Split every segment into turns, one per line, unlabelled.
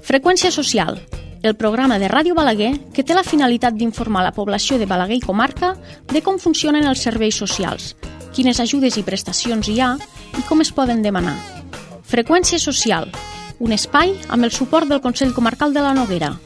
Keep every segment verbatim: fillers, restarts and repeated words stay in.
Freqüència social, el programa de Ràdio Balaguer que té la finalitat d'informar la població de Balaguer i comarca de com funcionen els serveis socials, quines ajudes i prestacions hi ha i com es poden demanar. Freqüència social, un espai amb el suport del Consell Comarcal de la Noguera.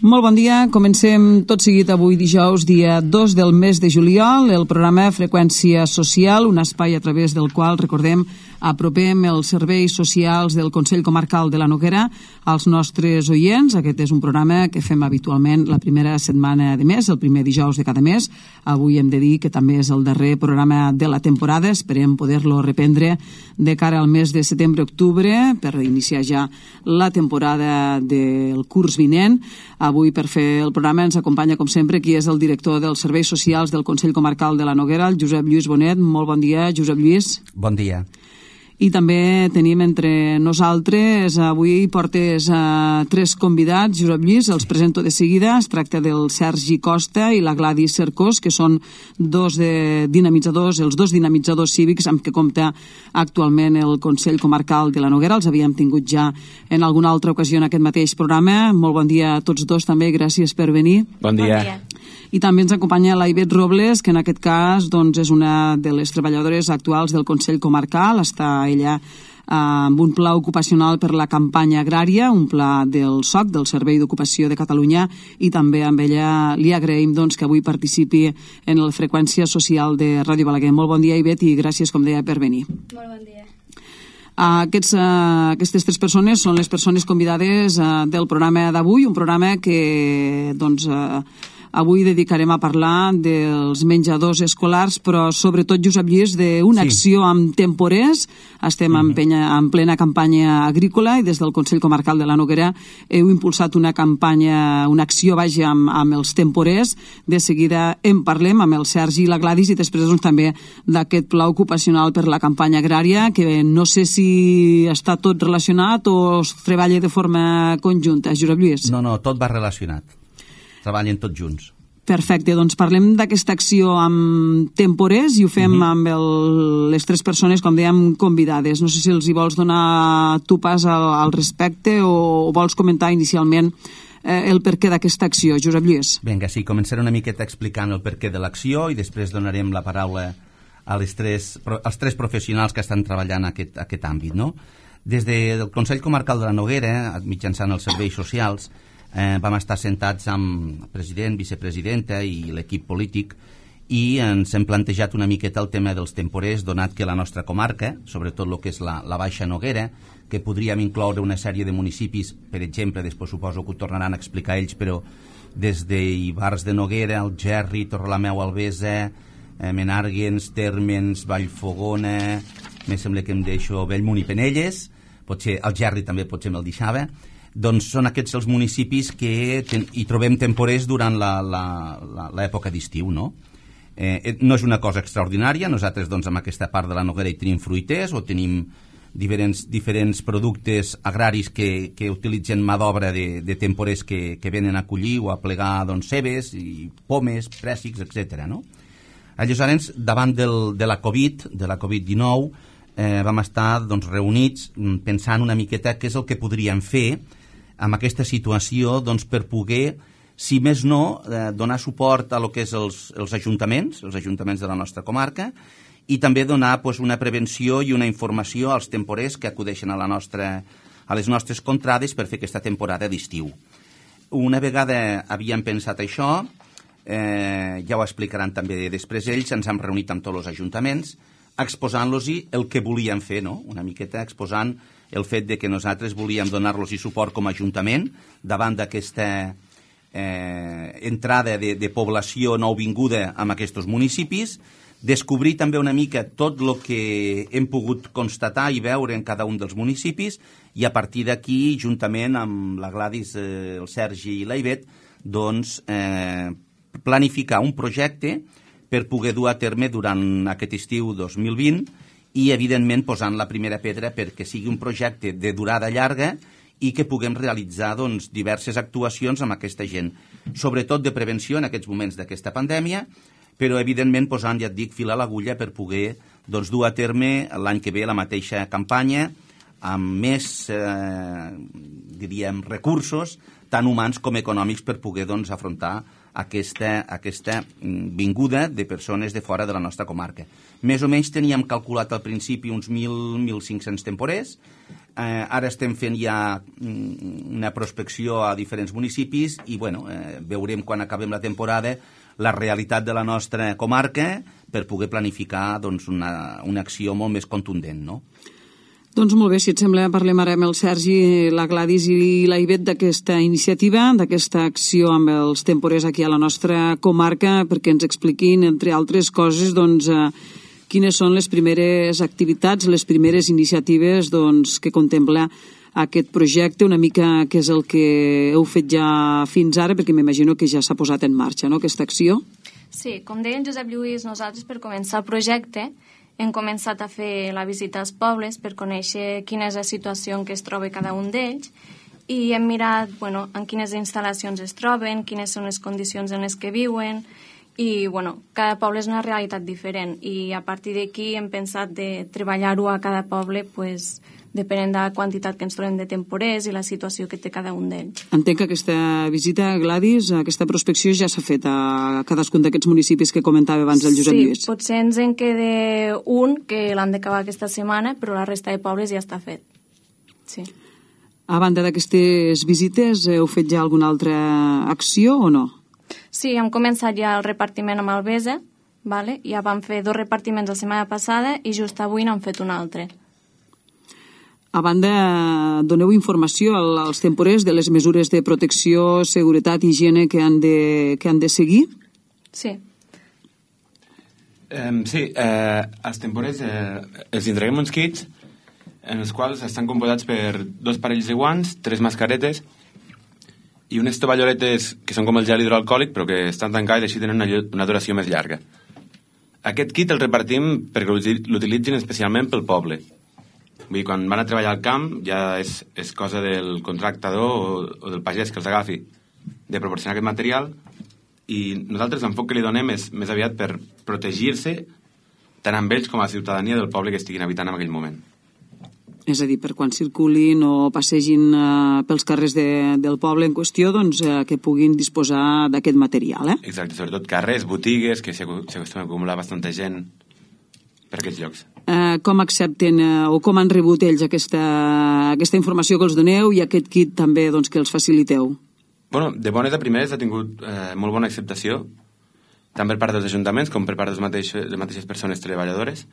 Molt bon dia, comencem tot seguit avui dijous, dia dos del mes de juliol, el programa Freqüència Social, un espai a través del qual, recordem, apropem els serveis socials del Consell Comarcal de la Noguera als nostres oients. Aquest és un programa que fem habitualment la primera setmana de mes, el primer dijous de cada mes. Avui hem de dir que també és el darrer programa de la temporada, esperem poder-lo reprendre de cara al mes de setembre-octubre per iniciar ja la temporada del curs vinent. Avui, per fer el programa, ens acompanya, com sempre, qui és el director dels Serveis Socials del Consell Comarcal de la Noguera, el Josep Lluís Bonet. Molt bon dia, Josep Lluís.
Bon dia.
I també tenim entre nosaltres, avui portes uh, tres convidats, Josep Lluís, els presento de seguida. Es tracta del Sergi Costa i la Gladys Cercós, que són dos de dinamitzadors, els dos dinamitzadors cívics amb què compta actualment el Consell Comarcal de la Noguera. Els havíem tingut ja en alguna altra ocasió en aquest mateix programa. Molt bon dia a tots dos també, gràcies per venir.
Bon dia.
Bon dia.
I també ens acompanya la Ivet Robles, que en aquest cas doncs, és una de les treballadores actuals del Consell Comarcal. Està ella eh, amb un pla ocupacional per la campanya agrària, un pla del S O C, del Servei d'Ocupació de Catalunya, i també amb ella li agraïm doncs, que avui participi en la Freqüència Social de Ràdio Balaguer. Molt bon dia, Ivet, i gràcies, com deia, per venir.
Molt bon dia.
Aquests, uh, aquestes tres persones són les persones convidades uh, del programa d'avui, un programa que doncs, uh, avui dedicarem a parlar dels menjadors escolars, però sobretot, Josep Lluís, d'una sí. acció amb temporers. Estem mm-hmm. en, penya, en plena campanya agrícola i des del Consell Comarcal de la Noguera heu impulsat una campanya, una acció, vaja, amb, amb els temporers. De seguida en parlem amb el Sergi i la Gladys i després doncs, també d'aquest pla ocupacional per la campanya agrària, que no sé si està tot relacionat o es treballa de forma conjunta, Josep Lluís.
No, no, tot va relacionat. Treballen tots junts.
Perfecte, doncs parlem d'aquesta acció amb temporers i ho fem mm-hmm. amb el, les tres persones, com dèiem, convidades. No sé si els hi vols donar tu pas al, al respecte o, o vols comentar inicialment eh, el perquè d'aquesta acció, Josep Lluís.
Vinga, sí, començaré una miqueta explicant el perquè de l'acció i després donarem la paraula a les tres, als tres professionals que estan treballant aquest, aquest àmbit, no? Des del Consell Comarcal de la Noguera, mitjançant els serveis socials, Eh, vam estar sentats amb el president, vicepresidenta i l'equip polític i ens hem plantejat una miqueta el tema dels temporers, donat que la nostra comarca, sobretot el que és la, la Baixa Noguera, que podríem incloure una sèrie de municipis, per exemple, després suposo que ho tornaran a explicar ells, però des d'Ivars de Noguera, Algerri, Torrelameu, Albesa, eh, Menàrguens, Térmens, Vallfogona, me sembla que em deixo Bellmunt i Penelles, potser Algerri també potser me'l deixava. Doncs són aquests els municipis que ten, hi trobem temporers durant l'època d'estiu, no? Eh, no és una cosa extraordinària, nosaltres doncs amb aquesta part de la Noguera hi tenim fruiters o tenim diferents, diferents productes agraris que, que utilitzen mà d'obra de, de temporers que, que venen a collir o a plegar doncs, cebes, i pomes, prèssics, etcètera, no? Aleshores, davant del, de la Covid, de la Covid dinou, eh, vam estar doncs, reunits pensant una miqueta què és el que podríem fer amb aquesta situació doncs, per poder, si més no, eh, donar suport a lo que és els, els ajuntaments, els ajuntaments de la nostra comarca, i també donar pues, una prevenció i una informació als temporers que acudeixen a, la nostra, a les nostres contrades per fer aquesta temporada d'estiu. Una vegada havíem pensat això, eh, ja ho explicaran també després ells, ens hem reunit amb tots els ajuntaments, exposant-los el que volíem fer, no? Una miqueta exposant el fet de que nosaltres volíem donar-los suport com a ajuntament davant d'aquesta eh, entrada de, de població nouvinguda en aquests municipis, descobrir també una mica tot el que hem pogut constatar i veure en cada un dels municipis i a partir d'aquí, juntament amb la Gladys, eh, el Sergi i la Ivet, doncs eh, planificar un projecte per poder dur a terme durant aquest estiu dos mil vint i, evidentment, posant la primera pedra perquè sigui un projecte de durada llarga i que puguem realitzar doncs, diverses actuacions amb aquesta gent, sobretot de prevenció en aquests moments d'aquesta pandèmia, però evidentment posant, ja et dic, fil a l'agulla per poder doncs, dur a terme l'any que ve la mateixa campanya amb més, eh, diríem, recursos, tant humans com econòmics, per poder doncs, afrontar aquesta, aquesta vinguda de persones de fora de la nostra comarca. Més o menys teníem calculat al principi uns mil a mil cinc-cents temporers. Eh, ara estem fent ja una prospecció a diferents municipis i bueno, eh, veurem quan acabem la temporada la realitat de la nostra comarca per poder planificar doncs, una, una acció molt més contundent, no?
Doncs molt bé, si et sembla, parlem ara amb el Sergi, la Gladys i la Ivet d'aquesta iniciativa, d'aquesta acció amb els temporers aquí a la nostra comarca, perquè ens expliquin, entre altres coses, doncs, eh, quines són les primeres activitats, les primeres iniciatives doncs, que contempla aquest projecte, una mica què és el que heu fet ja fins ara, perquè m'imagino que ja s'ha posat en marxa, no?, aquesta acció.
Sí, com deia en Josep Lluís, nosaltres per començar el projecte hem començat a fer la visita als pobles per conèixer quina és la situació en què es troba cada un d'ells i hem mirat bueno, en quines instal·lacions es troben, quines són les condicions en les que viuen i bueno, cada poble és una realitat diferent i a partir d'aquí hem pensat de treballar-ho a cada poble pues, depenent de la quantitat que ens trobem de temporers i la situació que té cada un d'ells.
Entenc que aquesta visita, Gladys, aquesta prospecció ja s'ha fet a cadascun d'aquests municipis que comentava abans el Josep Lluís.
Sí, potser ens en queda un que l'han d'acabar aquesta setmana, però la resta de pobles ja està fet. Sí.
A banda d'aquestes visites, heu fet ja alguna altra acció o no?
Sí, hem començat ja el repartiment amb Albesa, vale? Ja vam fer dos repartiments la setmana passada i just avui n'hem fet un altre.
A banda, doneu informació als temporers de les mesures de protecció, seguretat i higiene que han de, que han de seguir?
Sí.
Um, sí, eh, els temporers eh, els entreguem uns kits en els quals estan composats per dos parells de guants, tres mascaretes i unes tovalloletes que són com el gel hidroalcohòlic però que estan tancades i així tenen una, una duració més llarga. Aquest kit el repartim perquè l'utilitzin especialment pel poble. Vull dir, quan van a treballar al camp ja és, és cosa del contractador o, o del pagès que els agafi de proporcionar aquest material i nosaltres l'enfoc que li donem és més aviat per protegir-se tant amb ells com a la ciutadania del poble que estiguin habitant en aquell moment.
És a dir, per quan circulin o passegin eh, pels carrers de, del poble en qüestió, doncs eh, que puguin disposar d'aquest material, eh?
Exacte, sobretot carrers, botigues, que s'acostuma a acumular bastanta gent per aquests llocs.
Eh, com accepten eh, o com han rebut ells aquesta, aquesta informació que els doneu i aquest kit també doncs, que els faciliteu?
Bueno, de bones a primeres ha tingut eh, molt bona acceptació, tant per part dels ajuntaments com per part de les mateixes, les mateixes persones treballadores,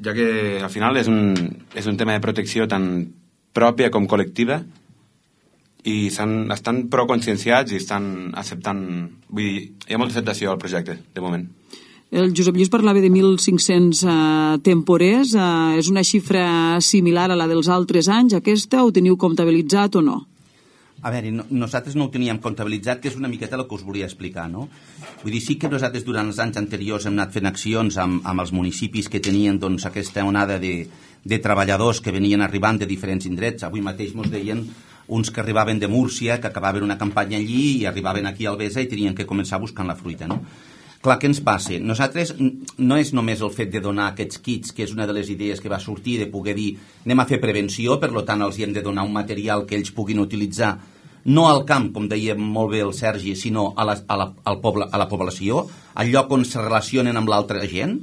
ja que al final és un, és un tema de protecció tan pròpia com col·lectiva i estan prou conscienciats i estan acceptant... Vull dir, hi ha molta acceptació al projecte, de moment.
El Josep Lluís parlava de mil cinc-cents eh, temporers. Eh, és una xifra similar a la dels altres anys, aquesta? Ho teniu comptabilitzat o no?
A veure, no, nosaltres no ho teníem comptabilitzat, que és una miqueta el que us volia explicar, no? Vull dir, sí que nosaltres durant els anys anteriors hem anat fent accions amb, amb els municipis que tenien doncs, aquesta onada de, de treballadors que venien arribant de diferents indrets. Avui mateix ens deien uns que arribaven de Múrcia, que acabaven una campanya allí i arribaven aquí a Albesa i tenien que començar buscant la fruita, no? Clar, què ens passa? Nosaltres no és només el fet de donar aquests kits, que és una de les idees que va sortir, de poder dir anem a fer prevenció, per tant els hi hem de donar un material que ells puguin utilitzar no al camp, com deia molt bé el Sergi, sinó a la, a la, al poble, a la població, al lloc on se relacionen amb l'altra gent.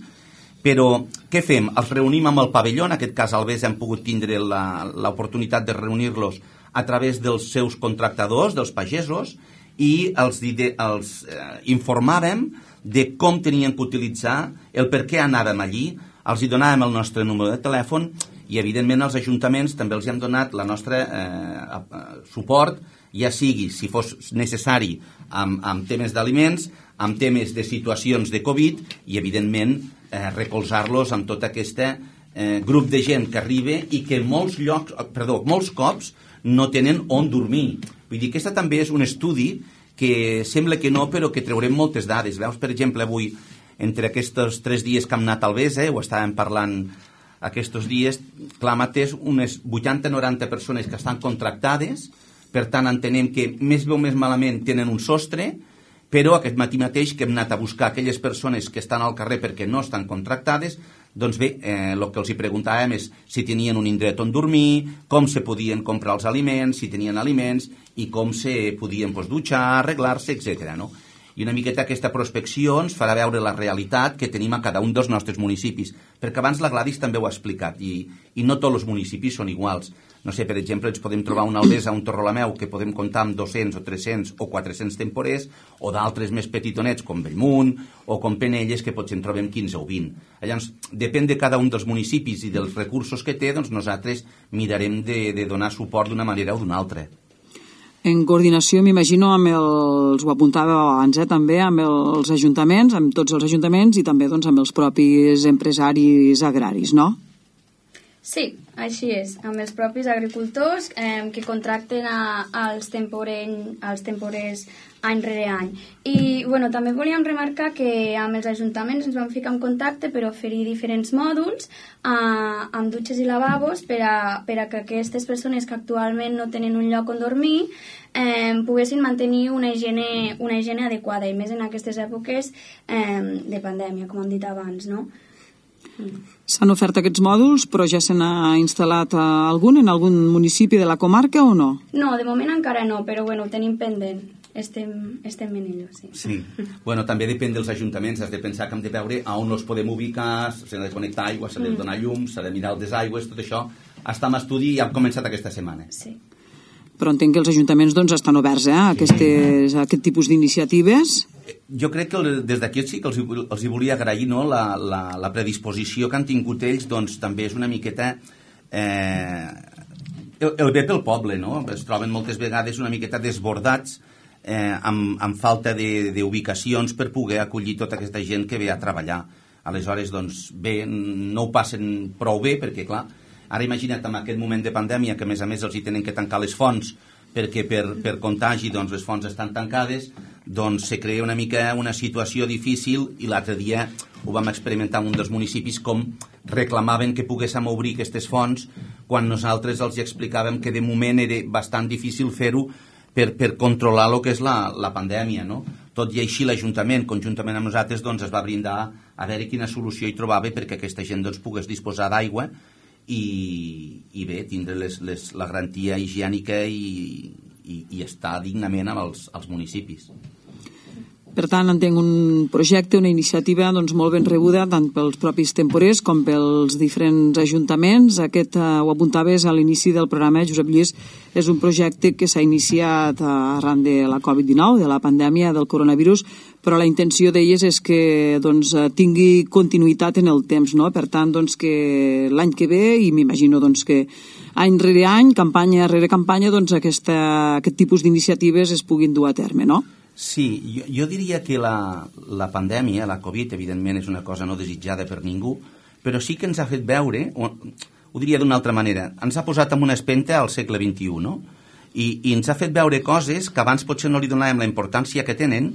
Però què fem? Els reunim amb el pavelló, en aquest cas al Albesa hem pogut tindre l'oportunitat de reunir-los a través dels seus contractadors, dels pagesos, i els, els eh, informàvem de com tenien que utilitzar, el per què anàvem allí, els hi donàvem el nostre número de telèfon i, evidentment, als ajuntaments també els hem donat la nostra eh, suport, ja sigui, si fos necessari, amb, amb temes d'aliments, amb temes de situacions de Covid i, evidentment, eh, recolzar-los amb tot aquest eh, grup de gent que arriba i que molts llocs, perdó, molts cops no tenen on dormir. Vull dir que aquest també és un estudi que sembla que no, però que treurem moltes dades. Veus, per exemple, avui, entre aquests tres dies que hem anat al Albesa, ho estàvem parlant aquests dies, clar, mateix unes vuitanta a noranta persones que estan contractades, per tant entenem que més bé o més malament tenen un sostre, però aquest matí mateix que hem anat a buscar aquelles persones que estan al carrer perquè no estan contractades, doncs bé, eh, el que els hi preguntàvem és si tenien un indret on dormir, com se podien comprar els aliments, si tenien aliments i com se podien pues, dutxar, arreglar-se, etcètera. No? I una miqueta aquesta prospecció ens farà veure la realitat que tenim a cada un dels nostres municipis, perquè abans la Gladys també ho ha explicat, i, i no tots els municipis són iguals. No sé, per exemple, ens podem trobar una Albesa, un Torrelameu, que podem comptar amb dos-cents o tres-cents o quatre-cents temporers, o d'altres més petitonets, com Bellmunt, o com Penelles, que potser en trobem quinze o vint. Llavors, depèn de cada un dels municipis i dels recursos que té, doncs nosaltres mirarem de, de donar suport d'una manera o d'una altra.
En coordinació, m'imagino, amb els, ho apuntava abans, eh, també amb els ajuntaments, amb tots els ajuntaments i també doncs, amb els propis empresaris agraris, no?
Sí, així és, amb els propis agricultors eh, que contracten a, als, temporell, als temporers any rere any. I bueno, també volíem remarcar que amb els ajuntaments ens vam ficar en contacte per oferir diferents mòduls eh, amb dutxes i lavabos per a, per a que aquestes persones que actualment no tenen un lloc on dormir eh, poguessin mantenir una higiene, una higiene adequada, i més en aquestes èpoques eh, de pandèmia, com hem dit abans, no?
S'han ofert aquests mòduls, però ja se n'ha instal·lat algun en algun municipi de la comarca o no?
No, de moment encara no, però bueno, ho tenim pendent. Estem, estem en ello, sí.
Sí. Bueno, també depèn dels ajuntaments, has de pensar que hem de veure a on els podem ubicar, s'ha de connectar aigua, s'ha de donar llum, s'ha de mirar el desaigües, tot això està en estudi i ha començat aquesta setmana.
Sí.
Però entenc que els ajuntaments doncs, estan oberts eh, a, aquestes, a aquest tipus d'iniciatives.
Jo crec que des d'aquí sí que els, els hi volia agrair, no? la, la, la predisposició que han tingut ells, doncs també és una miqueta eh, el, el bé pel poble, no? Es troben moltes vegades una miqueta desbordats eh, amb, amb falta d'ubicacions per poder acollir tota aquesta gent que ve a treballar. Aleshores, doncs bé, no ho passen prou bé perquè, clar, ara imagina't en aquest moment de pandèmia que a més a més els hi tenen que tancar les fonts perquè per, per contagi doncs, les fonts estan tancades, doncs se crea una mica una situació difícil, i l'altre dia ho vam experimentar en un dels municipis com reclamaven que poguéssim obrir aquestes fonts quan nosaltres els explicàvem que de moment era bastant difícil fer-ho per, per controlar el que és la, la pandèmia, no? Tot i així l'Ajuntament, conjuntament amb nosaltres, doncs, es va brindar a veure quina solució hi trobava perquè aquesta gent doncs, pogués disposar d'aigua i, i bé, tindre les, les, la garantia higiènica i, i, i estar dignament amb els, els municipis.
Per tant, entenc un projecte, una iniciativa doncs, molt ben rebuda tant pels propis temporers com pels diferents ajuntaments. Aquest, eh, ho apuntaves a l'inici del programa, Josep Lluís, és un projecte que s'ha iniciat arran de la covid dinou, de la pandèmia del coronavirus, però la intenció d'elles és que doncs, tingui continuïtat en el temps, no? Per tant, doncs, que l'any que ve, i m'imagino doncs, que any rere any, campanya rere campanya, doncs, aquesta, aquest tipus d'iniciatives es puguin dur a terme, no?
Sí, jo, jo diria que la, la pandèmia, la Covid, evidentment és una cosa no desitjada per ningú, però sí que ens ha fet veure, o, ho diria d'una altra manera, ens ha posat en una espenta al segle vint-i-u, no? I, i ens ha fet veure coses que abans potser no li donàvem la importància que tenen,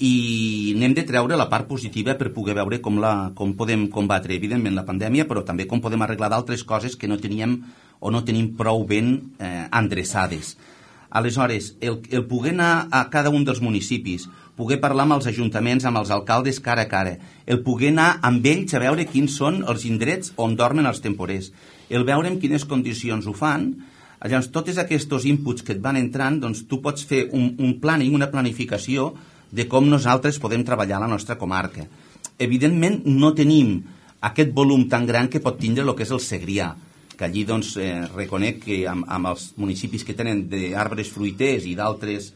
i n'hem de treure la part positiva per poder veure com, la, com podem combatre, evidentment, la pandèmia, però també com podem arreglar d'altres coses que no teníem o no tenim prou ben eh, endreçades. Aleshores, el, el poder anar a cada un dels municipis, poder parlar amb els ajuntaments, amb els alcaldes cara a cara, el poder anar amb ells a veure quins són els indrets on dormen els temporers, el veure en quines condicions ho fan, llavors tots aquests inputs que et van entrant, doncs tu pots fer un, un planning, una planificació de com nosaltres podem treballar a la nostra comarca. Evidentment no tenim aquest volum tan gran que pot tindre el que és el Segrià, que allí doncs, eh, reconec que amb, amb els municipis que tenen d'arbres fruiters i d'altres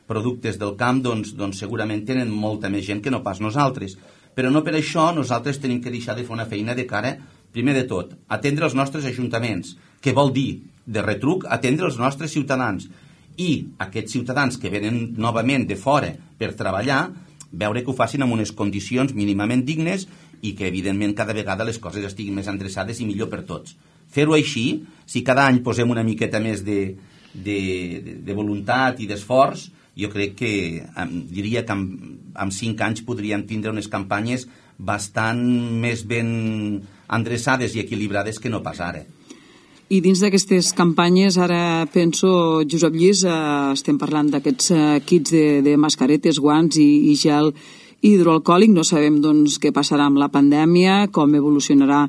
productes del camp, doncs, doncs segurament tenen molta més gent que no pas nosaltres. Però no per això nosaltres tenim que deixar de fer una feina de cara, primer de tot, atendre els nostres ajuntaments, que vol dir, de retruc, atendre els nostres ciutadans. I aquests ciutadans que venen novament de fora per treballar, veure que ho facin en unes condicions mínimament dignes i que, evidentment, cada vegada les coses estiguin més endreçades i millor per tots. Fer-ho així, si cada any posem una miqueta més de, de, de, de voluntat i d'esforç, jo crec que diria que amb, amb cinc anys podríem tindre unes campanyes bastant més ben endreçades i equilibrades que no pas ara.
I dins d'aquestes campanyes, ara penso, Josep Lluís, eh, estem parlant d'aquests eh, kits de, de mascaretes, guants i, i gel hidroalcohòlic. No sabem doncs, què passarà amb la pandèmia, com evolucionarà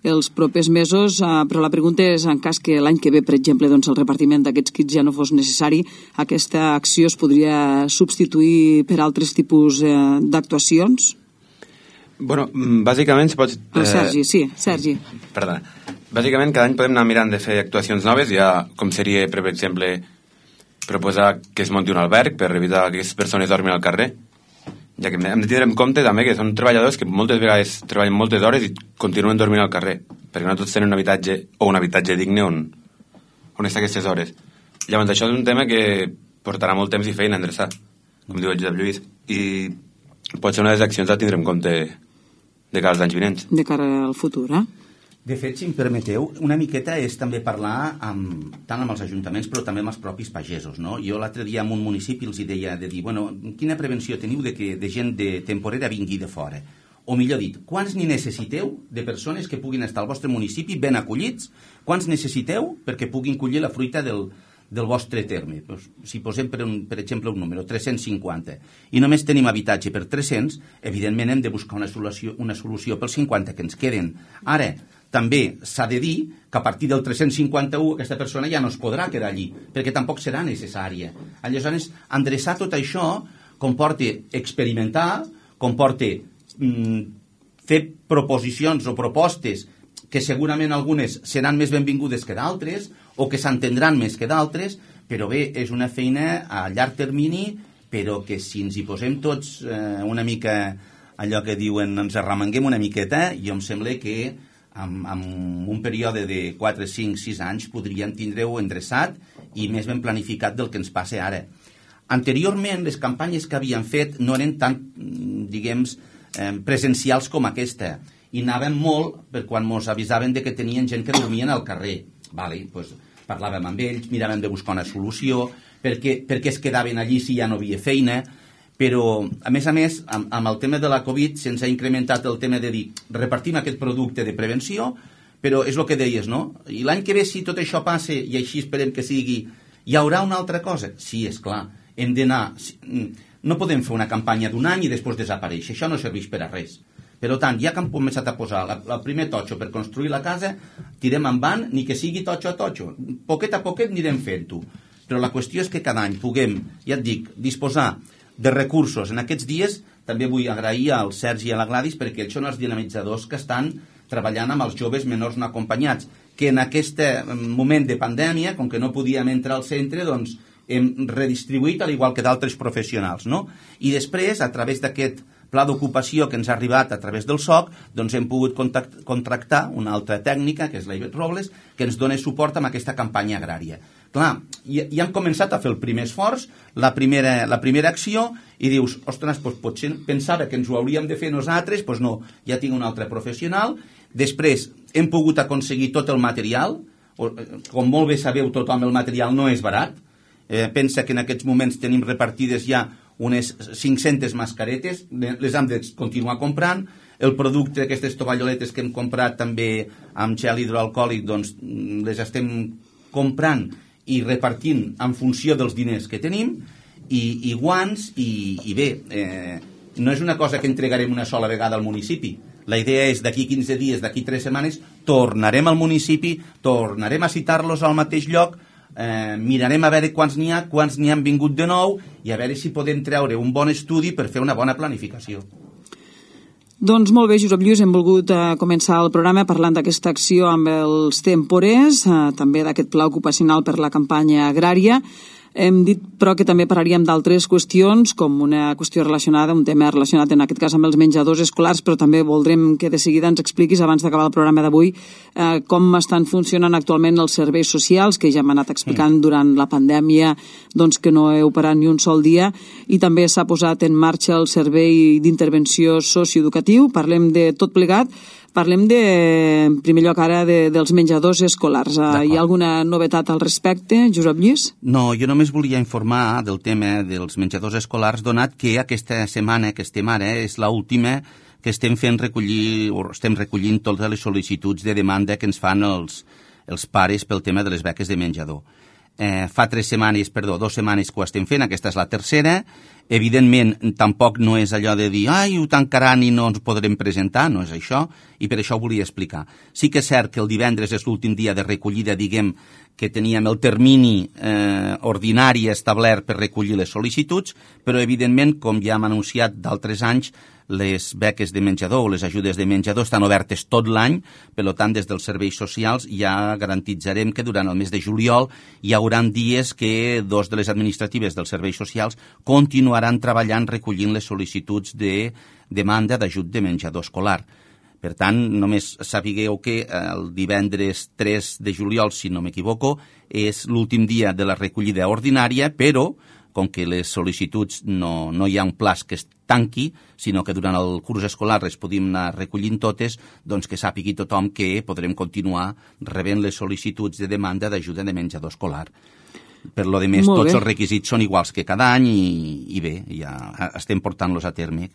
els propers mesos, eh, però la pregunta és, en cas que l'any que ve, per exemple, doncs, el repartiment d'aquests kits ja no fos necessari, aquesta acció es podria substituir per altres tipus eh, d'actuacions?
Bueno, bàsicament si pots...
Eh... Sergi, sí, Sergi.
Perdona. Bàsicament cada any podem anar mirant de fer actuacions noves, ja com seria, per exemple, proposar que es munti un alberg per evitar que aquestes persones dormin al carrer, ja que hem de tindre en compte també que són treballadors que moltes vegades treballen moltes hores i continuen dormint al carrer, perquè no tots tenen un habitatge o un habitatge digne on, on està aquestes hores. Llavors això és un tema que portarà molt temps i feina a endreçar, com diu el Josep Lluís, i pot ser una de les accions a tindre en compte de cara als anys vinents.
De cara al futur, eh?
De fet, si em permeteu, una miqueta és també parlar amb, tant amb els ajuntaments però també amb els propis pagesos, no? Jo l'altre dia en un municipi els deia de dir, bueno, quina prevenció teniu de que de gent de temporera vingui de fora? O millor dit, quants n'hi necessiteu de persones que puguin estar al vostre municipi ben acollits? Quants necessiteu perquè puguin collir la fruita del, del vostre terme? Pues, si posem, per, un, per exemple, un número, tres-cents cinquanta, i només tenim habitatge per tres-cents, evidentment hem de buscar una solució, una solució pels cinquanta que ens queden. Ara, també s'ha de dir que a partir del tres-cents cinquanta-u aquesta persona ja no es podrà quedar allí, perquè tampoc serà necessària. Aleshores, endreçar tot això comporta experimentar, comporta mm, fer proposicions o propostes que segurament algunes seran més benvingudes que d'altres o que s'entendran més que d'altres, però bé, és una feina a llarg termini, però que si ens hi posem tots eh, una mica, allò que diuen, ens arremanguem una miqueta, jo em sembla que en un període de quatre, cinc, sis anys podríem tindre-ho endreçat i més ben planificat del que ens passa ara. Anteriorment, les campanyes que havien fet no eren tan, diguem, presencials com aquesta, i anàvem molt per quan ens avisaven de que tenien gent que dormien al carrer. Vale, pues, parlàvem amb ells, miràvem de buscar una solució, perquè, perquè es quedaven allí si ja no havia feina, però, a més a més, amb, amb el tema de la Covid se'ns ha incrementat el tema de dir repartim aquest producte de prevenció, però és el que deies, no? I l'any que ve, si tot això passa, i així esperem que sigui, hi haurà una altra cosa? Sí, és clar, hem d'anar... No podem fer una campanya d'un any i després desaparèixer, això no serveix per a res. Per tant, ja que hem començat a posar el primer totxo per construir la casa, tirem en van, ni que sigui totxo a totxo. Poquet a poquet anirem fent-ho. Però la qüestió és que cada any puguem, ja et dic, disposar de recursos. En aquests dies també vull agrair al Sergi i a la Gladys perquè ells són els dinamitzadors que estan treballant amb els joves menors no acompanyats, que en aquest moment de pandèmia, com que no podíem entrar al centre, doncs hem redistribuït al igual que d'altres professionals, no? I després, a través d'aquest pla d'ocupació que ens ha arribat a través del S O C, doncs hem pogut contractar una altra tècnica, que és l'Ivet Robles, que ens dona suport amb aquesta campanya agrària. Clar, ja, ja hem començat a fer el primer esforç, la primera, la primera acció, i dius, ostres, doncs potser pensava que ens ho hauríem de fer nosaltres, doncs no, ja tinc un altre professional. Després hem pogut aconseguir tot el material, com molt bé sabeu tothom, el material no és barat, eh, pensa que en aquests moments tenim repartides ja unes cinc-centes mascaretes, les hem de continuar comprant, el producte, aquestes tovalloletes que hem comprat també amb gel hidroalcohòlic, doncs les estem comprant i repartint en funció dels diners que tenim, i, i guants, i, i bé, eh, no és una cosa que entregarem una sola vegada al municipi. La idea és d'aquí quinze dies, d'aquí tres setmanes, tornarem al municipi, tornarem a citar-los al mateix lloc, eh, mirarem a veure quants n'hi ha, quants n'hi han vingut de nou, i a veure si podem treure un bon estudi per fer una bona planificació.
Doncs molt bé, Josep Lluís, hem volgut eh, començar el programa parlant d'aquesta acció amb els temporers, eh, també d'aquest pla ocupacional per la campanya agrària. Hem dit, però, que també parlaríem d'altres qüestions, com una qüestió relacionada, un tema relacionat en aquest cas amb els menjadors escolars, però també voldrem que de seguida ens expliquis, abans d'acabar el programa d'avui, eh, com estan funcionant actualment els serveis socials, que ja hem anat explicant durant la pandèmia, doncs que no heu parat ni un sol dia, i també s'ha posat en marxa el servei d'intervenció socioeducatiu. Parlem de tot plegat. Parlem de, en primer lloc ara, de, dels menjadors escolars. Hi ha alguna novetat al respecte, Josep Lluís?
No, jo només volia informar del tema dels menjadors escolars, donat que aquesta setmana que estem ara és l'última que estem fent recollir, o estem recollint totes les sol·licituds de demanda que ens fan els, els pares pel tema de les beques de menjador. Eh, fa tres setmanes, perdó, dues setmanes que ho estem fent, aquesta és la tercera. Evidentment, tampoc no és allò de dir ai, ho tancaran i no ens podrem presentar, no és això, i per això ho volia explicar. Sí que és cert que el divendres és l'últim dia de recollida, diguem, que teníem el termini eh, ordinari establert per recollir les sol·licituds, però evidentment, com ja hem anunciat d'altres anys, les beques de menjador o les ajudes de menjador estan obertes tot l'any, per tant, des dels serveis socials ja garantitzarem que durant el mes de juliol hi haurà dies que dos de les administratives dels serveis socials continuaran treballant recollint les sol·licituds de demanda d'ajut de menjador escolar. Per tant, només sapigueu que el divendres tres de juliol, si no m'equivoco, és l'últim dia de la recollida ordinària, però com que les sol·licituds no, no hi ha un plaç que es tanqui, sinó que durant el curs escolar es podem anar recollint totes, doncs que sàpigui tothom que podrem continuar rebent les sol·licituds de demanda d'ajuda de menjador escolar. Per lo de més, tots els requisits són iguals que cada any i, i bé, ja estem portant-los a terme.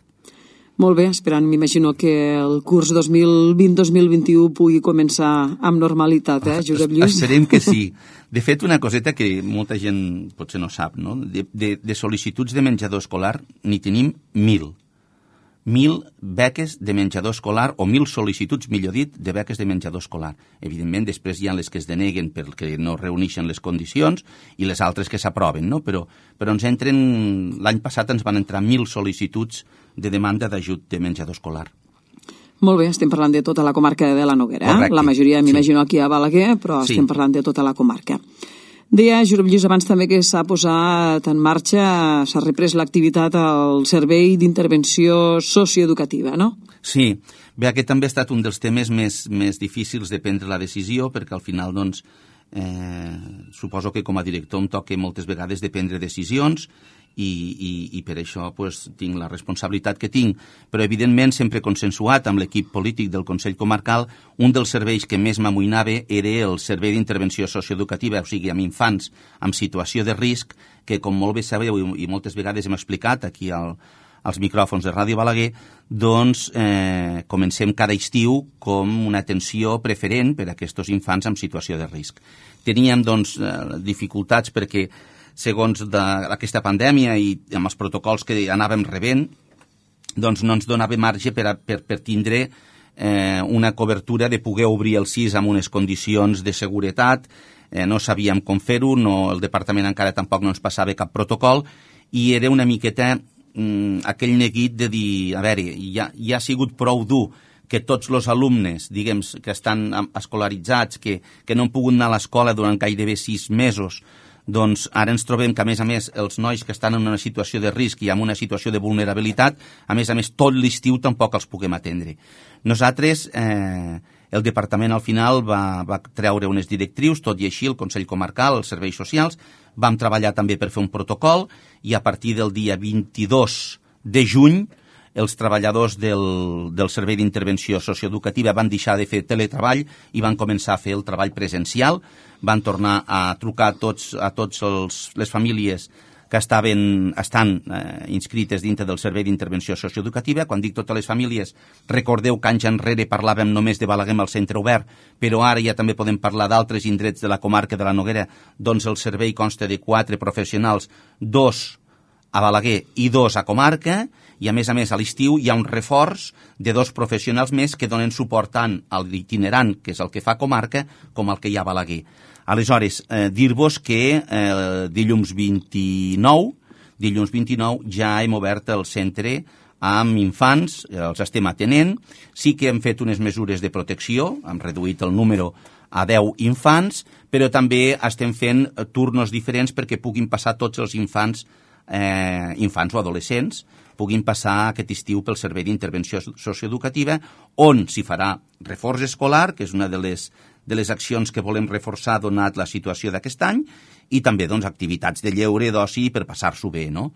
Molt bé, esperant, m'imagino que el curs dos mil vint dos mil vint-i-u pugui començar amb normalitat, eh, Josep Lluís?
Esperem que sí. De fet, una coseta que molta gent potser no sap, no? De, de, de sol·licituds de menjador escolar n'hi tenim mil. Mil beques de menjador escolar o mil sol·licituds, millor dit, de beques de menjador escolar. Evidentment, després hi ha les que es deneguen perquè no reuneixen les condicions i les altres que s'aproven, no? Però, però ens entren, l'any passat ens van entrar mil sol·licituds de demanda d'ajut de menjador escolar.
Molt bé, estem parlant de tota la comarca de la Noguera, eh?
Correcte.
La majoria, m'imagino, sí. Aquí a Balaguer, però sí. Estem parlant de tota la comarca. Deia, Josep Lluís, abans també que s'ha posat en marxa, s'ha reprès l'activitat al Servei d'Intervenció Socioeducativa, no?
Sí, bé, aquest també ha estat un dels temes més, més difícils de prendre la decisió, perquè al final, doncs, eh, suposo que com a director em toca moltes vegades de prendre decisions i, i, i per això pues, tinc la responsabilitat que tinc. Però, evidentment, sempre consensuat amb l'equip polític del Consell Comarcal, un dels serveis que més m'amoïnava era el Servei d'Intervenció Socioeducativa, o sigui, amb infants en situació de risc, que, com molt bé sabeu i, i moltes vegades hem explicat aquí al, als micròfons de Ràdio Balaguer, doncs eh, comencem cada estiu com una atenció preferent per a aquests infants en situació de risc. Teníem, doncs, eh, dificultats perquè segons aquesta pandèmia i amb els protocols que anàvem rebent, doncs no ens donava marge per, a, per, per tindre eh, una cobertura de poder obrir el C I S amb unes condicions de seguretat, eh, no sabíem com fer-ho, no, el departament encara tampoc no ens passava cap protocol, i era una miqueta mm, aquell neguit de dir, a veure, ja, ja ha sigut prou dur que tots els alumnes, diguem, que estan escolaritzats, que, que no han pogut anar a l'escola durant gairebé sis mesos, doncs ara ens trobem que, a més a més, els nois que estan en una situació de risc i en una situació de vulnerabilitat, a més a més, tot l'estiu tampoc els puguem atendre. Nosaltres, eh, el departament al final va, va treure unes directrius, tot i així el Consell Comarcal, els serveis socials, vam treballar també per fer un protocol i a partir del dia vint-i-dos de juny els treballadors del, del Servei d'Intervenció Socioeducativa van deixar de fer teletreball i van començar a fer el treball presencial, van tornar a trucar a tots, a tots els, les famílies que estaven, estan eh, inscrites dintre del Servei d'Intervenció Socioeducativa. Quan dic totes les famílies, recordeu que anys enrere parlàvem només de Balaguer al centre obert, però ara ja també podem parlar d'altres indrets de la comarca de la Noguera, doncs el servei consta de quatre professionals, dos a Balaguer i dos a comarca, i a més a més a l'estiu hi ha un reforç de dos professionals més que donen suport tant a l'itinerant, que és el que fa comarca, com al que hi ha a Balaguer. Aleshores, eh, dir-vos que eh, dilluns vint-i-nou, dilluns vint-i-nou ja hem obert el centre amb infants, els estem atenent, sí que hem fet unes mesures de protecció, hem reduït el número a deu infants, però també estem fent turnos diferents perquè puguin passar tots els infants, eh, infants o adolescents, puguin passar aquest estiu pel Servei d'Intervenció Socioeducativa, on s'hi farà reforç escolar, que és una de les, de les accions que volem reforçar donat la situació d'aquest any, i també doncs, activitats de lleure, d'oci, per passar-s'ho bé, no?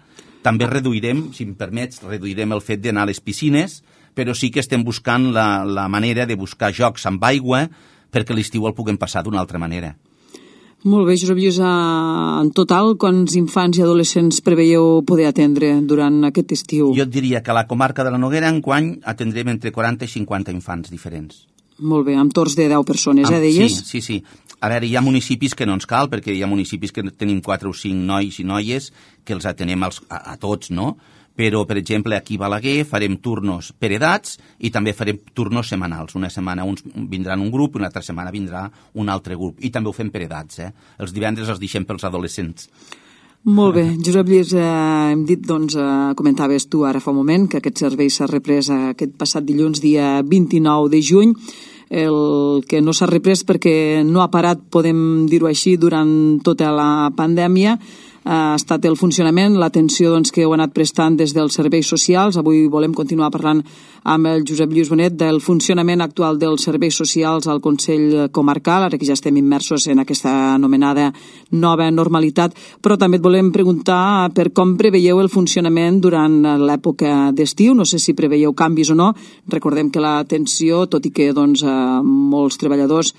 També reduirem, si em permets, reduirem el fet d'anar a les piscines, però sí que estem buscant la, la manera de buscar jocs amb aigua perquè l'estiu el puguem passar d'una altra manera.
Molt bé, Josep Lluís, en total, quants infants i adolescents preveieu poder atendre durant aquest estiu?
Jo et diria que a la comarca de la Noguera enguany atendrem entre quaranta i cinquanta infants diferents.
Molt bé, amb torns de deu persones, eh, deies?
Sí, sí, sí. A veure, hi ha municipis que no ens cal, perquè hi ha municipis que tenim quatre o cinc nois i noies que els atenem als, a, a tots, no? Però, per exemple, aquí a Balaguer farem turnos per edats i també farem turnos setmanals. Una setmana uns vindran un grup i una altra setmana vindrà un altre grup. I també ho fem per edats, eh? Els divendres els deixem pels adolescents.
Molt bé. Josep Lluís, eh, hem dit, doncs, eh, comentaves tu ara fa un moment que aquest servei s'ha reprès aquest passat dilluns, dia vint-i-nou de juny. El que no s'ha reprès perquè no ha parat, podem dir-ho així, durant tota la pandèmia, ha estat el funcionament, l'atenció doncs, que heu anat prestant des dels serveis socials. Avui volem continuar parlant amb el Josep Lluís Bonet del funcionament actual dels serveis socials al Consell Comarcal, ara que ja estem immersos en aquesta anomenada nova normalitat, però també et volem preguntar per com preveieu el funcionament durant l'època d'estiu. No sé si preveieu canvis o no. Recordem que l'atenció, tot i que doncs, molts treballadors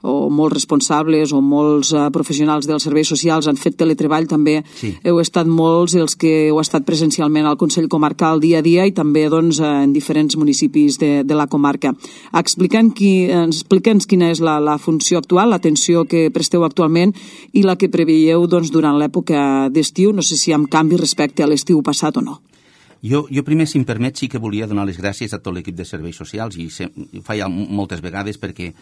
o molts responsables o molts uh, professionals dels serveis socials han fet teletreball, també sí. Heu estat molts els que heu estat presencialment al Consell Comarcal dia a dia i també doncs, en diferents municipis de, de la comarca. Explica'ns qui, explica'ns quina és la, la funció actual, l'atenció que presteu actualment i la que preveieu doncs, durant l'època d'estiu. No sé si hi ha canvi respecte a l'estiu passat o no.
Jo, jo primer, si em permet, sí que volia donar les gràcies a tot l'equip de serveis socials i se, ho faig moltes vegades perquè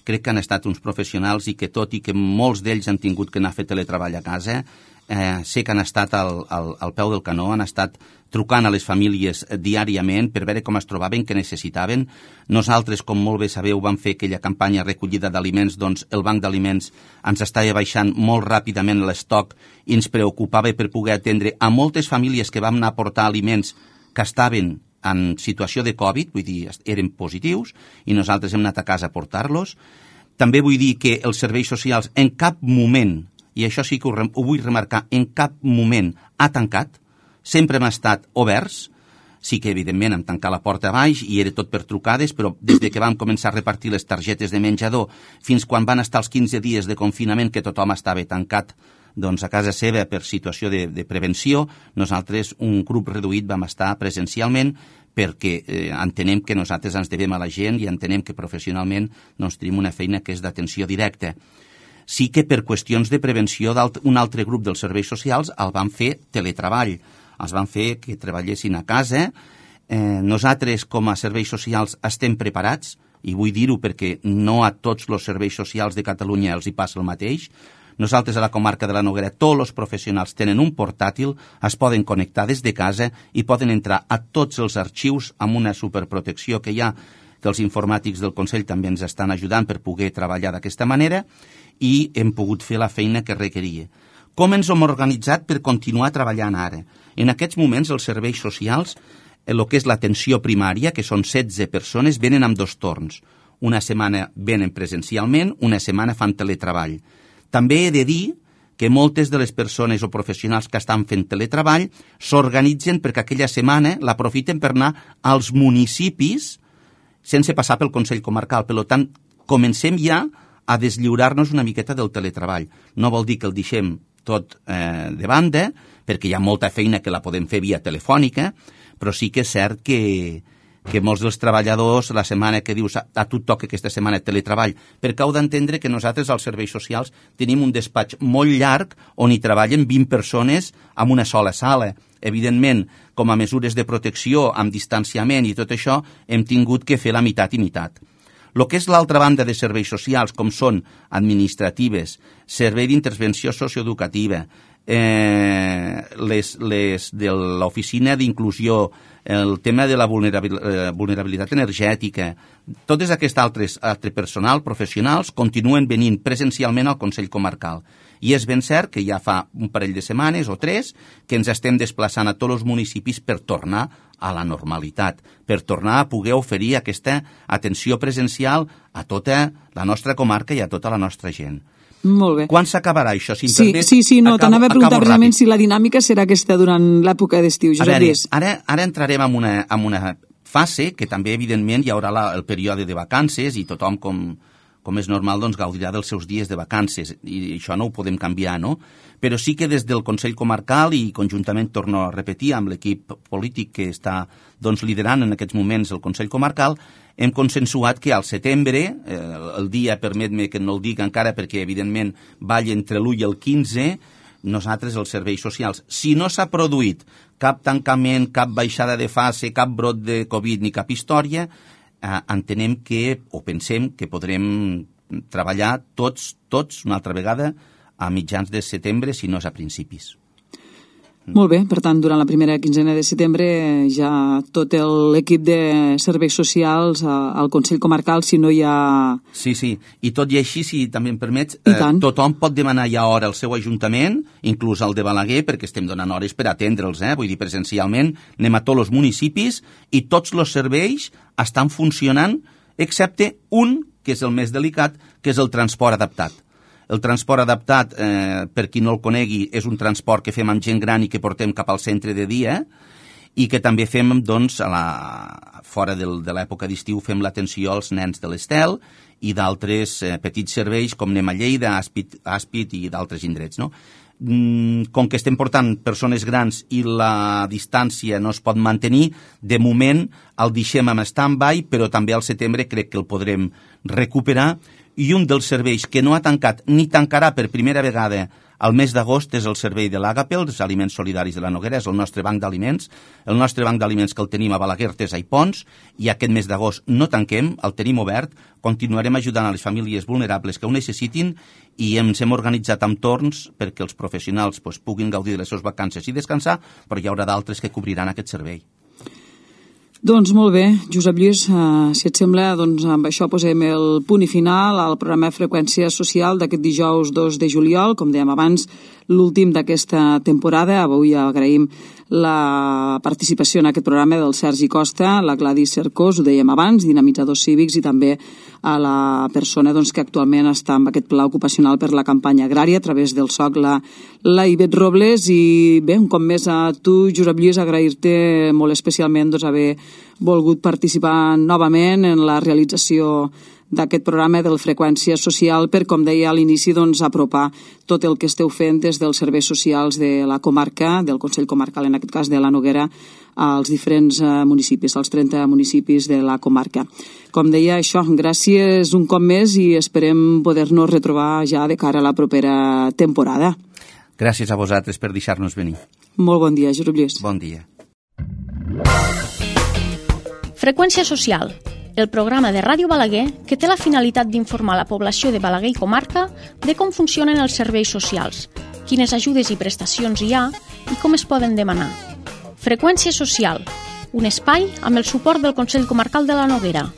crec que han estat uns professionals i que tot i que molts d'ells han tingut que anar a fer teletreball a casa, eh, sé que han estat al, al, al peu del canó, han estat trucant a les famílies diàriament per veure com es trobaven, què necessitaven. Nosaltres, com molt bé sabeu, vam fer aquella campanya recollida d'aliments, doncs el banc d'aliments ens estava baixant molt ràpidament l'estoc i ens preocupava per poder atendre a moltes famílies que vam anar a portar aliments que estaven en situació de Covid, vull dir, eren positius, i nosaltres hem anat a casa a portar-los. També vull dir que els serveis socials en cap moment, i això sí que ho, ho vull remarcar, en cap moment ha tancat, sempre hem estat oberts. Sí que, evidentment, hem tancat la porta a baix i era tot per trucades, però des de que vam començar a repartir les targetes de menjador fins quan van estar els quinze dies de confinament que tothom estava tancat doncs a casa seva per situació de, de prevenció, nosaltres, un grup reduït, vam estar presencialment perquè eh, entenem que nosaltres ens devem a la gent i entenem que professionalment doncs, tenim una feina que és d'atenció directa. Sí que per qüestions de prevenció un altre grup dels serveis socials el van fer teletreball, els van fer que treballessin a casa. Eh, nosaltres, com a serveis socials, estem preparats, i vull dir-ho perquè no a tots els serveis socials de Catalunya els hi passa el mateix. Nosaltres a la comarca de la Noguera tots els professionals tenen un portàtil, es poden connectar des de casa i poden entrar a tots els arxius amb una superprotecció que hi ha, que els informàtics del Consell també ens estan ajudant per poder treballar d'aquesta manera i hem pogut fer la feina que requeria. Com ens hem organitzat per continuar treballant ara? En aquests moments els serveis socials, el que és l'atenció primària, que són setze persones, venen amb dos torns. Una setmana venen presencialment, una setmana fan teletreball. També he de dir que moltes de les persones o professionals que estan fent teletreball s'organitzen perquè aquella setmana l'aprofiten per anar als municipis sense passar pel Consell Comarcal. Per tant, comencem ja a deslliurar-nos una miqueta del teletreball. No vol dir que el deixem tot eh, de banda, perquè hi ha molta feina que la podem fer via telefònica, però sí que és cert que, que molts dels treballadors, la setmana que dius a, a tu et toca aquesta setmana teletreball, perquè heu d'entendre que nosaltres als serveis socials tenim un despatx molt llarg on hi treballen vint persones en una sola sala. Evidentment, com a mesures de protecció, amb distanciament i tot això, hem tingut que fer la meitat i meitat. El que és l'altra banda de serveis socials, com són administratives, servei d'intervenció socioeducativa, eh, les, les de l'oficina d'inclusió, el tema de la vulnerabilitat energètica, totes aquests altres altre personal, professionals, continuen venint presencialment al Consell Comarcal. I és ben cert que ja fa un parell de setmanes o tres que ens estem desplaçant a tots els municipis per tornar a la normalitat, per tornar a poder oferir aquesta atenció presencial a tota la nostra comarca i a tota la nostra gent.
Molt bé.
Quan s'acabarà això? Si
sí,
permet,
sí, sí, no, t'anava a preguntar precisament
ràpid.
Si la dinàmica serà aquesta durant l'època d'estiu.
A veure, ara, ara entrarem en una, en una fase que també, evidentment, hi haurà la, el període de vacances i tothom, com, com és normal, doncs, gaudirà dels seus dies de vacances, i això no ho podem canviar, no? Però sí que des del Consell Comarcal, i conjuntament, torno a repetir, amb l'equip polític que està doncs, liderant en aquests moments el Consell Comarcal, hem consensuat que al setembre, eh, el dia, permet-me que no el dic encara perquè, evidentment, balla entre l'u i el quinze, nosaltres, els serveis socials, si no s'ha produït cap tancament, cap baixada de fase, cap brot de Covid ni cap història, eh, entenem que, o pensem que podrem treballar tots, tots, una altra vegada, a mitjans de setembre, si no és a principis.
Molt bé, per tant, durant la primera quinzena de setembre ja tot l'equip de serveis socials al Consell Comarcal, si no hi ha...
Sí, sí, i tot i així, si també em permets, eh, tothom pot demanar ja hora al seu ajuntament, inclús al de Balaguer, perquè estem donant hores per atendre'ls, eh? Vull dir, presencialment, anem a tots els municipis i tots els serveis estan funcionant, excepte un, que és el més delicat, que és el transport adaptat. El transport adaptat, eh, per qui no el conegui, és un transport que fem amb gent gran i que portem cap al centre de dia i que també fem, doncs, a la, fora del, de l'època d'estiu, fem l'atenció als nens de l'Estel i d'altres eh, petits serveis com anem a Lleida, Àspid, Àspid i d'altres indrets, no? Com que estem portant persones grans i la distància no es pot mantenir, de moment el deixem en stand-by, però també al setembre crec que el podrem recuperar. I un dels serveis que no ha tancat ni tancarà per primera vegada al mes d'agost és el servei de l'Àgape, els aliments solidaris de la Noguera, és el nostre banc d'aliments, el nostre banc d'aliments que el tenim a Balaguer, Artesa i Pons, i aquest mes d'agost no tanquem, el tenim obert, continuarem ajudant a les famílies vulnerables que ho necessitin i ens hem organitzat amb torns perquè els professionals pues, puguin gaudir de les seves vacances i descansar, però hi haurà d'altres que cobriran aquest servei.
Doncs molt bé, Josep Lluís, eh, si et sembla, doncs amb això posem el punt i final al programa Freqüència Social d'aquest dijous dos de juliol, com dèiem abans, l'últim d'aquesta temporada. Avui agraïm la participació en aquest programa del Sergi Costa, la Gladys Cercós, ho dèiem abans, dinamitzadors cívics, i també a la persona doncs, que actualment està amb aquest pla ocupacional per la campanya agrària a través del S O C, la, la Ivet Robles. I bé, un cop més a tu, Josep Lluís, agrair-te molt especialment doncs, haver volgut participar novament en la realització d'aquest programa del Freqüència Social per, com deia a l'inici, doncs, apropar tot el que esteu fent des dels serveis socials de la comarca, del Consell Comarcal, en aquest cas de la Noguera, als diferents municipis, als trenta municipis de la comarca. Com deia, això, gràcies un cop més i esperem poder-nos retrobar ja de cara a la propera temporada.
Gràcies a vosaltres per deixar-nos venir.
Molt bon dia, Josep Lluís.
Bon dia.
Freqüència Social, el programa de Ràdio Balaguer que té la finalitat d'informar la població de Balaguer i comarca de com funcionen els serveis socials, quines ajudes i prestacions hi ha i com es poden demanar. Freqüència Social, un espai amb el suport del Consell Comarcal de la Noguera.